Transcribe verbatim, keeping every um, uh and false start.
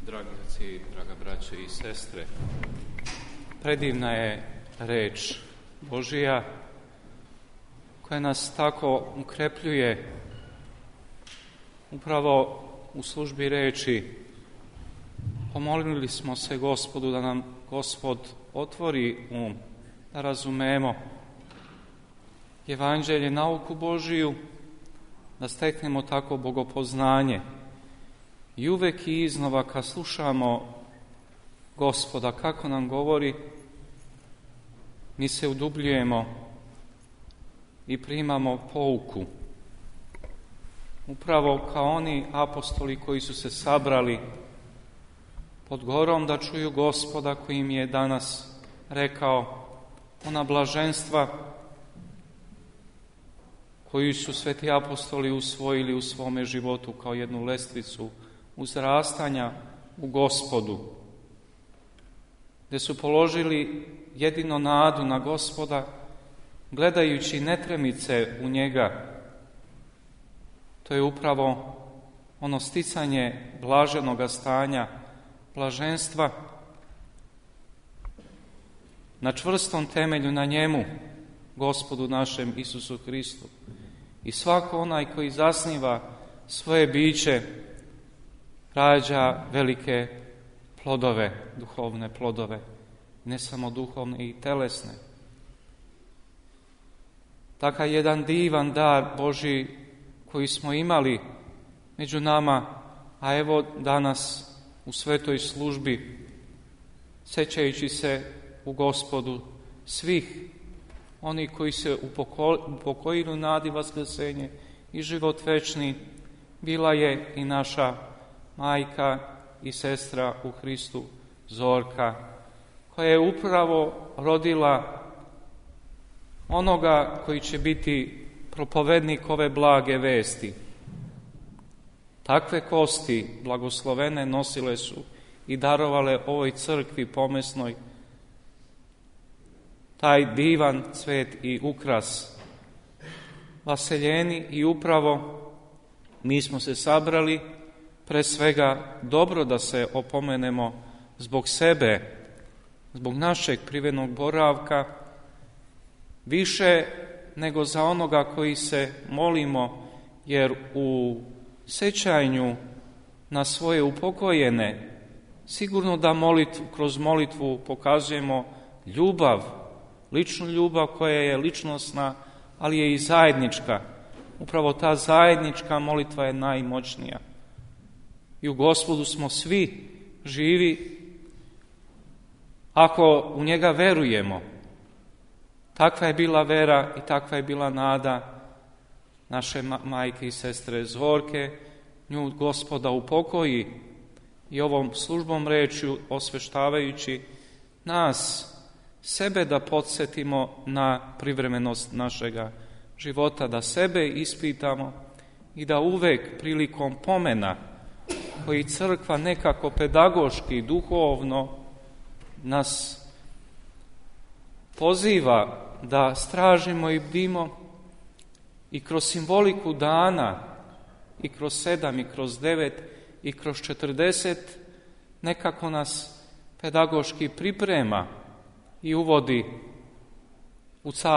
Dragi oci, draga braće i sestre, predivna je reč Božija koja nas tako ukrepljuje upravo u službi reči. Pomolili smo se Gospodu da nam Gospod otvori um, da razumemo Evanđelje, nauku Božiju, da steknemo tako bogopoznanje. I uvek i iznova kad slušamo Gospoda kako nam govori, mi se udubljujemo i primamo pouku. Upravo kao oni apostoli koji su se sabrali pod gorom da čuju Gospoda koji im je danas rekao ona blaženstva koju su sveti apostoli usvojili u svome životu kao jednu lestvicu uzrastanja u Gospodu, gdje su položili jedino nadu na Gospoda, gledajući netremice u njega. To je upravo ono sticanje blaženoga stanja, blaženstva na čvrstom temelju, na njemu, Gospodu našem Isusu Hristu. I svako onaj koji zasniva svoje biće rađa velike plodove, duhovne plodove, ne samo duhovne i telesne. Takav jedan divan dar Božji koji smo imali među nama, a evo danas u svetoj službi, sećajući se u Gospodu svih oni koji se upokojili u nadi vaskrsenje i život večni, bila je i naša majka i sestra u Hristu Zorka, koja je upravo rodila onoga koji će biti propovednik ove blage vesti. Takve kosti blagoslovene nosile su i darovale ovoj crkvi pomesnoj taj divan cvet i ukras. Vaseljeni i upravo mi smo se sabrali pre svega dobro da se opomenemo zbog sebe, zbog našeg privenog boravka, više nego za onoga koji se molimo, jer u sećanju na svoje upokojene sigurno da molitvu, kroz molitvu pokazujemo ljubav, ličnu ljubav koja je ličnosna, ali je i zajednička. Upravo ta zajednička molitva je najmoćnija. I u Gospodu smo svi živi ako u njega verujemo. Takva je bila vera i takva je bila nada naše majke i sestre Zorke. Nju Gospoda upokoji i ovom službom rečju osveštavajući nas, sebe da podsjetimo na privremenost našega života, da sebe ispitamo i da uvek prilikom pomena koji crkva nekako pedagoški, duhovno nas poziva da stražimo i bdimo i kroz simboliku dana i kroz sedam i kroz devet i kroz četrdeset nekako nas pedagoški priprema i uvodi u carstvo